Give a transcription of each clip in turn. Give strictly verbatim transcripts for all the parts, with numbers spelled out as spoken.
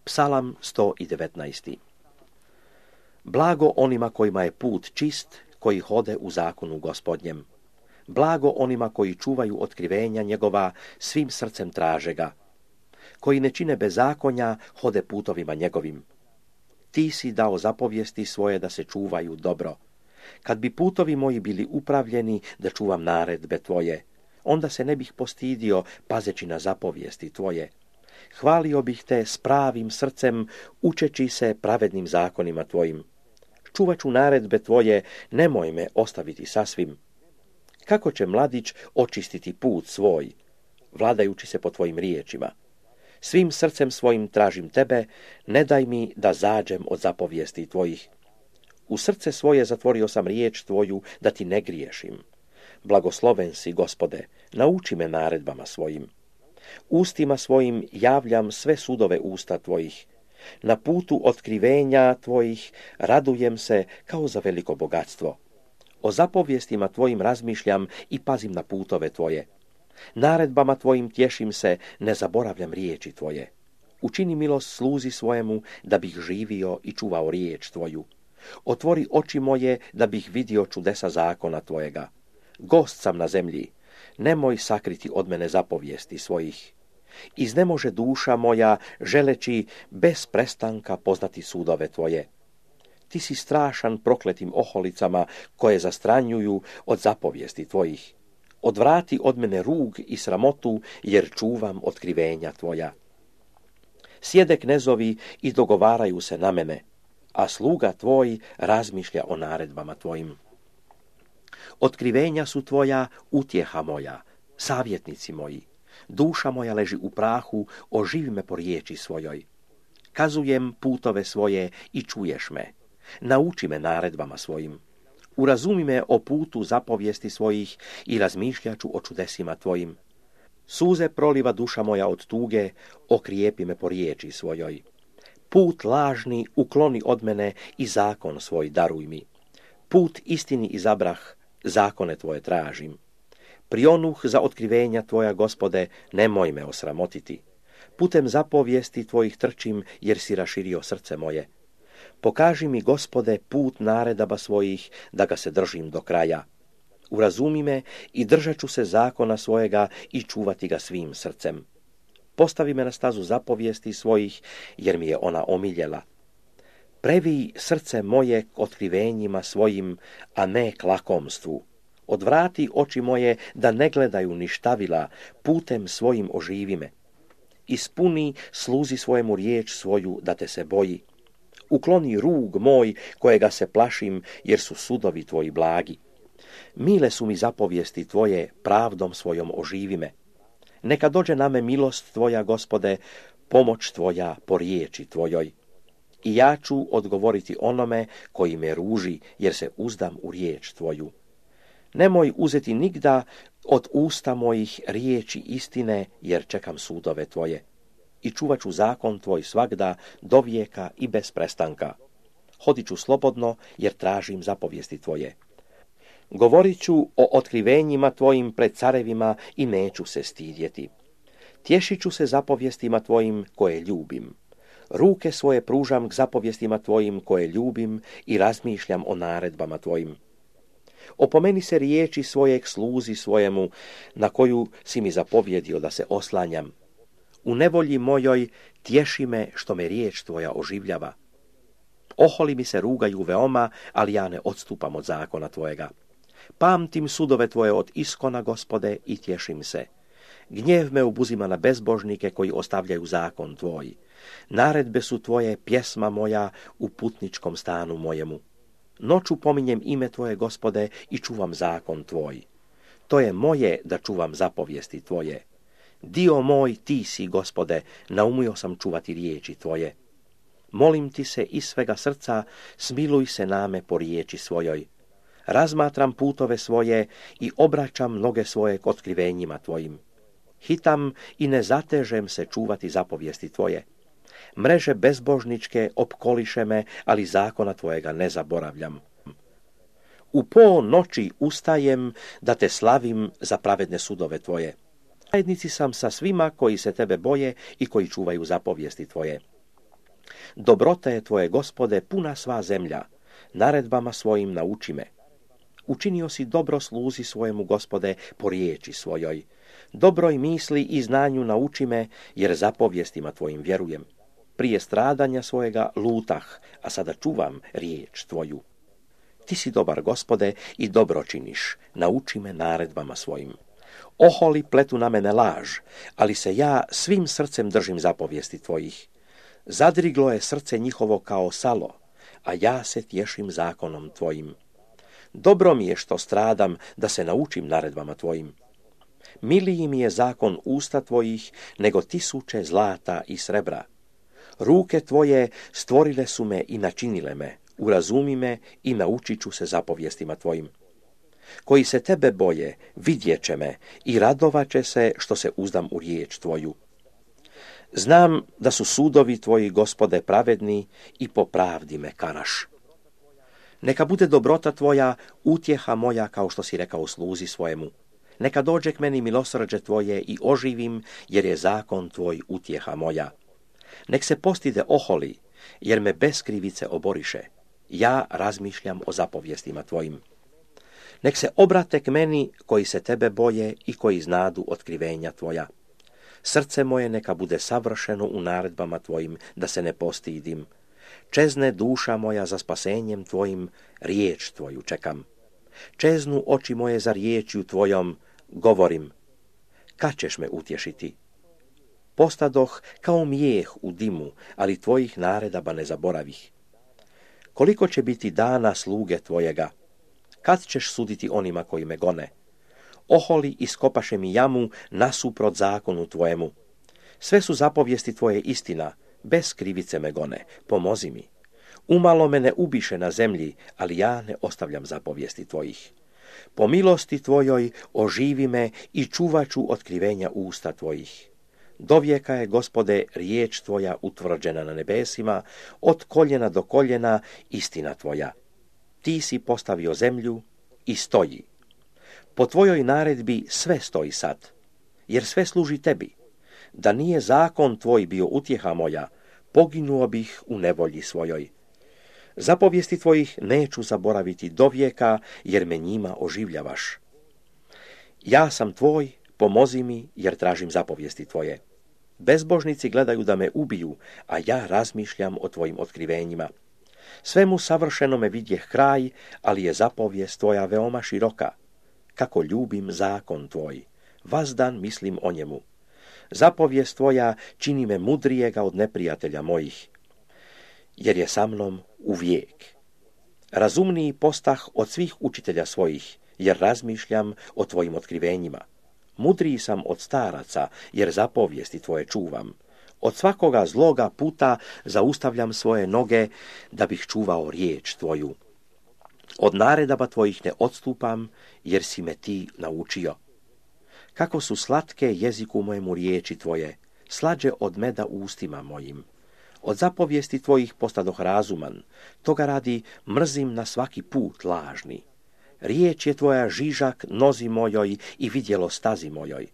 Psalam sto devetnaest. Blago onima kojima je put čist, koji hode u zakonu Gospodnjem. Blago onima koji čuvaju otkrivenja njegova, svim srcem traže ga. Koji ne čine bezakonja, hode putovima njegovim. Ti si dao zapovijesti svoje da se čuvaju dobro. Kad bi putovi moji bili upravljeni da čuvam naredbe tvoje, onda se ne bih postidio pazeći na zapovijesti tvoje. Hvalio bih te s pravim srcem, učeći se pravednim zakonima tvojim. Čuvat ću naredbe tvoje, nemoj me ostaviti sasvim. Kako će mladić očistiti put svoj, vladajući se po tvojim riječima? Svim srcem svojim tražim tebe, ne daj mi da zađem od zapovijesti tvojih. U srce svoje zatvorio sam riječ tvoju, da ti ne griješim. Blagosloven si, Gospode, nauči me naredbama svojim. Ustima svojim javljam sve sudove usta tvojih. Na putu otkrivenja tvojih radujem se kao za veliko bogatstvo. O zapovjestima tvojim razmišljam i pazim na putove tvoje. Naredbama tvojim tješim se, ne zaboravljam riječi tvoje. Učini milost sluzi svojemu, da bih živio i čuvao riječ tvoju. Otvori oči moje, da bih vidio čudesa zakona tvojega. Gost sam na zemlji, nemoj sakriti od mene zapovijesti svojih. Iznemože duša moja, želeći bez prestanka poznati sudove tvoje. Ti si strašan prokletim oholicama, koje zastranjuju od zapovijesti tvojih. Odvrati od mene rug i sramotu, jer čuvam otkrivenja tvoja. Sjede knezovi i dogovaraju se na mene, a sluga tvoj razmišlja o naredbama tvojim. Otkrivenja su tvoja, utjeha moja, savjetnici moji. Duša moja leži u prahu, oživi me po riječi svojoj. Kazujem putove svoje i čuješ me. Nauči me naredbama svojim. Urazumi me o putu zapovijesti svojih i razmišljaću o čudesima tvojim. Suze proliva duša moja od tuge, okrijepi me po riječi svojoj. Put lažni ukloni od mene i zakon svoj daruj mi. Put istini izabrah, zakone tvoje tražim. Prionuh za otkrivenja tvoja, Gospode, nemoj me osramotiti. Putem zapovijesti tvojih trčim, jer si raširio srce moje. Pokaži mi, Gospode, put naredaba svojih, da ga se držim do kraja. Urazumi me i držat ću se zakona svojega i čuvati ga svim srcem. Postavi me na stazu zapovijesti svojih, jer mi je ona omiljela. Previj srce moje k otkrivenjima svojim, a ne k lakomstvu. Odvrati oči moje da ne gledaju ništavila, putem svojim oživi me. Ispuni sluzi svojemu riječ svoju, da te se boji. Ukloni rug moj, kojega se plašim, jer su sudovi tvoji blagi. Mile su mi zapovijesti tvoje, pravdom svojom oživi me. Neka dođe na me milost tvoja, Gospode, pomoć tvoja po riječi tvojoj. I ja ću odgovoriti onome koji me ruži, jer se uzdam u riječ tvoju. Nemoj uzeti nigda od usta mojih riječi istine, jer čekam sudove tvoje. I čuvat ću zakon tvoj svagda, do vijeka i bez prestanka. Hodit ću slobodno, jer tražim zapovijesti tvoje. Govorit ću o otkrivenjima tvojim pred carevima i neću se stidjeti. Tješit ću se zapovjestima tvojim koje ljubim. Ruke svoje pružam k zapovjestima tvojim koje ljubim i razmišljam o naredbama tvojim. Opomeni se riječi svojeg sluzi svojemu, na koju si mi zapovjedio da se oslanjam. U nevolji mojoj tješi me što me riječ tvoja oživljava. Oholi mi se rugaju veoma, ali ja ne odstupam od zakona tvojega. Pamtim sudove tvoje od iskona, Gospode, i tješim se. Gnjev me obuzima na bezbožnike koji ostavljaju zakon tvoj. Naredbe su tvoje, pjesma moja u putničkom stanu mojemu. Noću pominjem ime tvoje, Gospode, i čuvam zakon tvoj. To je moje da čuvam zapovijesti tvoje. Dio moj ti si, Gospode, naumio sam čuvati riječi tvoje. Molim ti se iz svega srca, smiluj se name po riječi svojoj. Razmatram putove svoje i obraćam noge svoje k otkrivenjima tvojim. Hitam i ne zatežem se čuvati zapovijesti tvoje. Mreže bezbožničke opkoliše me, ali zakona tvojega ne zaboravljam. U po noći ustajem da te slavim za pravedne sudove tvoje. Zajednici sam sa svima koji se tebe boje i koji čuvaju zapovijesti tvoje. Dobrota je tvoje, Gospode, puna sva zemlja. Naredbama svojim nauči me. Učinio si dobro sluzi svojemu, Gospode, po riječi svojoj. Dobroj misli i znanju nauči me, jer zapovjestima tvojim vjerujem. Prije stradanja svojega lutah, a sada čuvam riječ tvoju. Ti si dobar, Gospode, i dobro činiš. Nauči me naredbama svojim. Oholi pletu na mene laž, ali se ja svim srcem držim zapovijesti tvojih. Zadriglo je srce njihovo kao salo, a ja se tješim zakonom tvojim. Dobro mi je što stradam, da se naučim naredbama tvojim. Miliji mi je zakon usta tvojih, nego tisuće zlata i srebra. Ruke tvoje stvorile su me i načinile me, urazumi me i naučit ću se zapovjestima tvojim. Koji se tebe boje, vidjet će me i radovat će se što se uzdam u riječ tvoju. Znam da su sudovi tvoji, Gospode, pravedni i po pravdi me karaš. Neka bude dobrota tvoja utjeha moja, kao što si rekao sluzi svojemu. Neka dođe k meni milosrđe tvoje i oživim, jer je zakon tvoj utjeha moja. Nek se postide oholi, jer me bez krivice oboriše. Ja razmišljam o zapovjestima tvojim. Nek se obrate k meni koji se tebe boje i koji znadu otkrivenja tvoja. Srce moje neka bude savršeno u naredbama tvojim, da se ne postidim. Čezne duša moja za spasenjem tvojim, riječ tvoju čekam. Čeznu oči moje za riječju tvojom, govorim. Kad ćeš me utješiti? Postadoh kao mijeh u dimu, ali tvojih naredaba ne zaboravih. Koliko će biti dana sluge tvojega? Kad ćeš suditi onima koji me gone? Oholi iskopaše mi jamu nasuprot zakonu tvojemu. Sve su zapovijesti tvoje istina, bez krivice me gone, pomozi mi. Umalo me ne ubiše na zemlji, ali ja ne ostavljam zapovijesti tvojih. Po milosti tvojoj oživi me i čuvaću otkrivenja usta tvojih. Dovijeka je, Gospode, riječ tvoja utvrđena na nebesima, od koljena do koljena istina tvoja. Ti si postavio zemlju i stoji. Po tvojoj naredbi sve stoji sad, jer sve služi tebi. Da nije zakon tvoj bio utjeha moja, poginuo bih u nevolji svojoj. Zapovijesti tvojih neću zaboraviti dovijeka, jer me njima oživljavaš. Ja sam tvoj, pomozi mi, jer tražim zapovijesti tvoje. Bezbožnici gledaju da me ubiju, a ja razmišljam o tvojim otkrivenjima. Svemu savršenome vidjeh kraj, ali je zapovijest tvoja veoma široka. Kako ljubim zakon tvoj, vazdan mislim o njemu. Zapovijest tvoja čini me mudrijega od neprijatelja mojih, jer je sa mnom uvijek. Razumniji postah od svih učitelja svojih, jer razmišljam o tvojim otkrivenjima. Mudriji sam od staraca, jer zapovijesti tvoje čuvam. Od svakoga zloga puta zaustavljam svoje noge, da bih čuvao riječ tvoju. Od naredaba tvojih ne odstupam, jer si me ti naučio. Kako su slatke jeziku mojemu riječi tvoje, slađe od meda ustima mojim. Od zapovijesti tvojih postadoh razuman, toga radi mrzim na svaki put lažni. Riječ je tvoja žižak nozi mojoj i vidjelo stazi mojoj.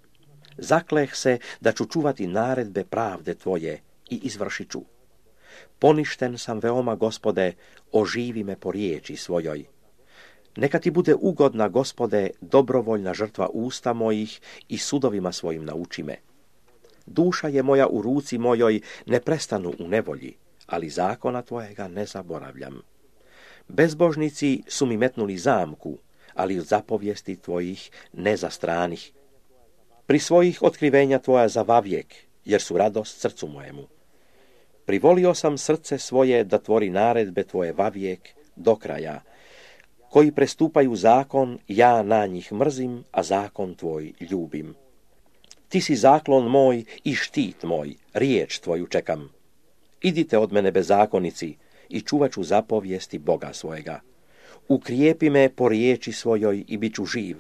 Zakleh se da ću čuvati naredbe pravde tvoje i izvršit ću. Poništen sam veoma, Gospode, oživi me po riječi svojoj. Neka ti bude ugodna, Gospode, dobrovoljna žrtva usta mojih i sudovima svojim nauči me. Duša je moja u ruci mojoj, ne prestanu u nevolji, ali zakona tvojega ne zaboravljam. Bezbožnici su mi metnuli zamku, ali od zapovijesti tvojih ne zastranih. Pri svojih otkrivenja tvoja za vavijek, jer su radost srcu mojemu. Privolio sam srce svoje da tvori naredbe tvoje vavijek do kraja. Koji prestupaju zakon, ja na njih mrzim, a zakon tvoj ljubim. Ti si zaklon moj i štit moj, riječ tvoju čekam. Idite od mene bezakonici i čuvat ću zapovijesti Boga svojega. Ukrijepi me po riječi svojoj i bit ću živ,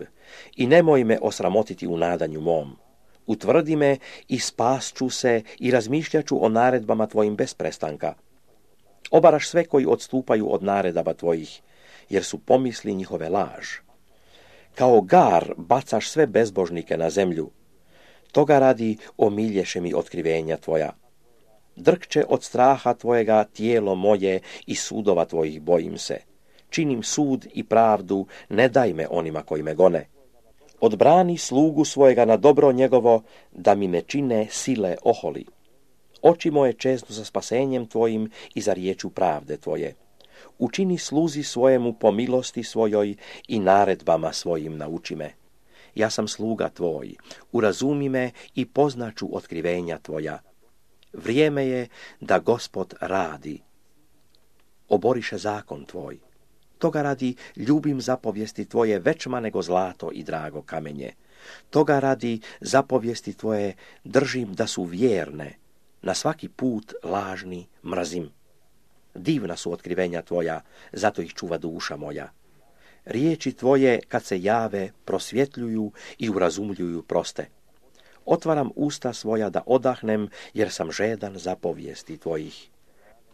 i nemoj me osramotiti u nadanju mom. Utvrdi me i spasću se i razmišljat ću o naredbama tvojim bez prestanka. Obaraš sve koji odstupaju od naredaba tvojih, jer su pomisli njihove laž. Kao gar bacaš sve bezbožnike na zemlju, toga radi omilješe mi otkrivenja tvoja. Drkče od straha tvojega tijelo moje i sudova tvojih bojim se. Činim sud i pravdu, ne daj me onima koji me gone. Odbrani slugu svojega na dobro njegovo, da mi ne čine sile oholi. Oči moje čeznu za spasenjem tvojim i za riječu pravde tvoje. Učini sluzi svojemu po milosti svojoj i naredbama svojim nauči me. Ja sam sluga tvoj, urazumi me i poznaću otkrivenja tvoja. Vrijeme je da Gospod radi. Oboriše zakon tvoj. Toga radi ljubim zapovijesti tvoje većma nego zlato i drago kamenje. Toga radi zapovijesti tvoje držim da su vjerne. Na svaki put lažni mrzim. Divna su otkrivenja tvoja, zato ih čuva duša moja. Riječi tvoje, kad se jave, prosvjetljuju i urazumljuju proste. Otvaram usta svoja da odahnem, jer sam žedan zapovijesti tvojih.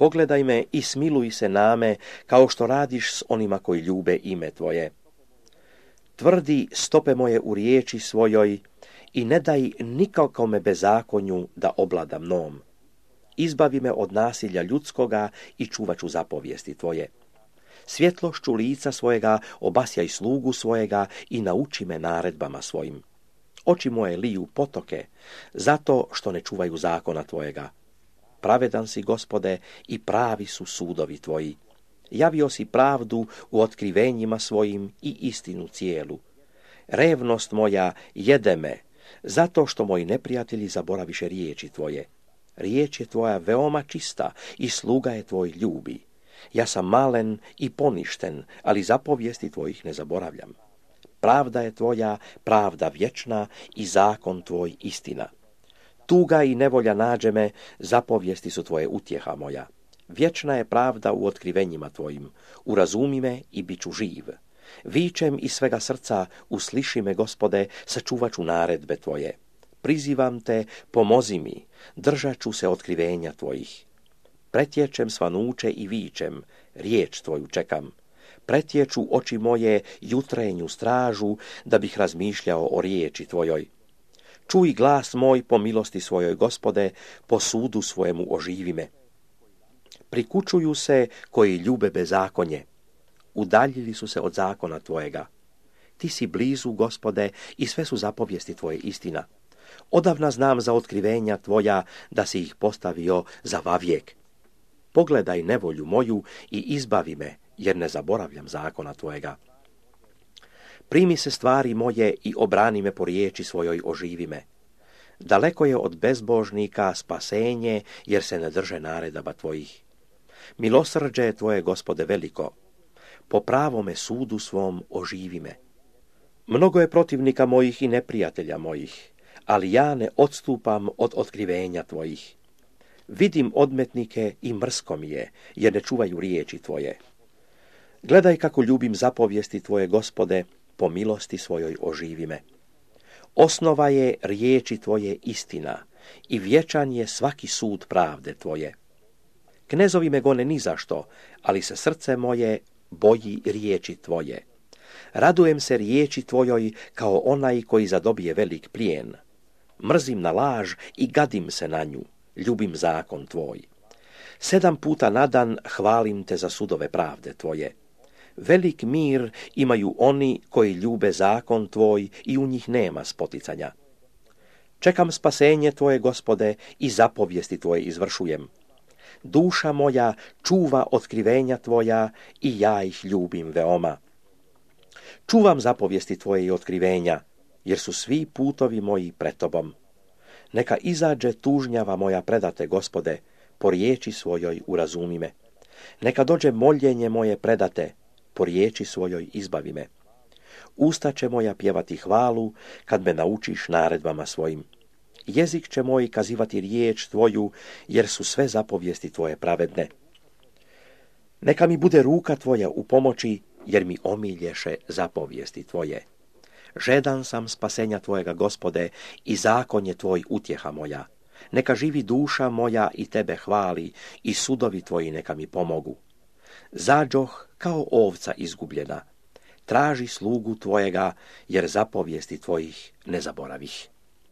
Pogledaj me i smiluj se name, kao što radiš s onima koji ljube ime tvoje. Tvrdi stope moje u riječi svojoj i ne daj nikakome bezakonju da oblada mnom. Izbavi me od nasilja ljudskoga i čuvat ću zapovijesti tvoje. Svjetlošću lica svojega obasjaj slugu svojega i nauči me naredbama svojim. Oči moje liju potoke, zato što ne čuvaju zakona tvojega. Pravedan si, Gospode, i pravi su sudovi tvoji. Javio si pravdu u otkrivenjima svojim i istinu cijelu. Revnost moja jede me, zato što moji neprijatelji zaboraviše riječi tvoje. Riječ je tvoja veoma čista i sluga je tvoj ljubi. Ja sam malen i poništen, ali zapovijesti tvojih ne zaboravljam. Pravda je tvoja, pravda vječna i zakon tvoj istina. Tuga i nevolja nađe me, zapovijesti su tvoje utjeha moja. Vječna je pravda u otkrivenjima tvojim. Urazumi me i bit ću živ. Vičem iz svega srca, usliši me, Gospode, sačuvat ću naredbe tvoje. Prizivam te, pomozi mi, držat ću se otkrivenja tvojih. Pretječem svanuće i vičem, riječ tvoju čekam. Pretječu oči moje jutrenju stražu, da bih razmišljao o riječi tvojoj. Čuj glas moj po milosti svojoj, Gospode, po sudu svojemu oživi me. Prikučuju se koji ljube bezakonje. Udaljili su se od zakona tvojega. Ti si blizu, Gospode, i sve su zapovijesti tvoje istina. Odavna znam za otkrivenja tvoja, da si ih postavio za vavijek. Pogledaj nevolju moju i izbavi me, jer ne zaboravljam zakona tvojega. Primi se stvari moje i obrani me po riječi svojoj oživi me. Daleko je od bezbožnika spasenje, jer se ne drže naredaba tvojih. Milosrđe je tvoje, Gospode, veliko. Po pravome sudu svom oživi me. Mnogo je protivnika mojih i neprijatelja mojih, ali ja ne odstupam od otkrivenja tvojih. Vidim odmetnike i mrsko mi je, jer ne čuvaju riječi tvoje. Gledaj kako ljubim zapovijesti tvoje, Gospode, po milosti svojoj oživi me. Osnova je riječi tvoje istina i vječan je svaki sud pravde tvoje. Knezovi me gone ni zašto, ali se srce moje boji riječi tvoje. Radujem se riječi tvojoj kao onaj koji zadobije velik plijen. Mrzim na laž i gadim se na nju, ljubim zakon tvoj. Sedam puta na dan hvalim te za sudove pravde tvoje. Velik mir imaju oni koji ljube zakon tvoj i u njih nema spoticanja. Čekam spasenje tvoje, Gospode, i zapovijesti tvoje izvršujem. Duša moja čuva otkrivenja tvoja i ja ih ljubim veoma. Čuvam zapovijesti tvoje i otkrivenja, jer su svi putovi moji pred tobom. Neka izađe tužnjava moja predate, Gospode, po riječi svojoj urazumi me. Neka dođe moljenje moje predate, po riječi svojoj izbavi me. Usta će moja pjevati hvalu, kad me naučiš naredbama svojim. Jezik će moj kazivati riječ tvoju, jer su sve zapovijesti tvoje pravedne. Neka mi bude ruka tvoja u pomoći, jer mi omilješe zapovijesti tvoje. Žedan sam spasenja tvojega, Gospode, i zakon je tvoj utjeha moja. Neka živi duša moja i tebe hvali, i sudovi tvoji neka mi pomogu. Zađoh kao ovca izgubljena. Traži slugu tvojega, jer zapovijesti tvojih ne zaboravih.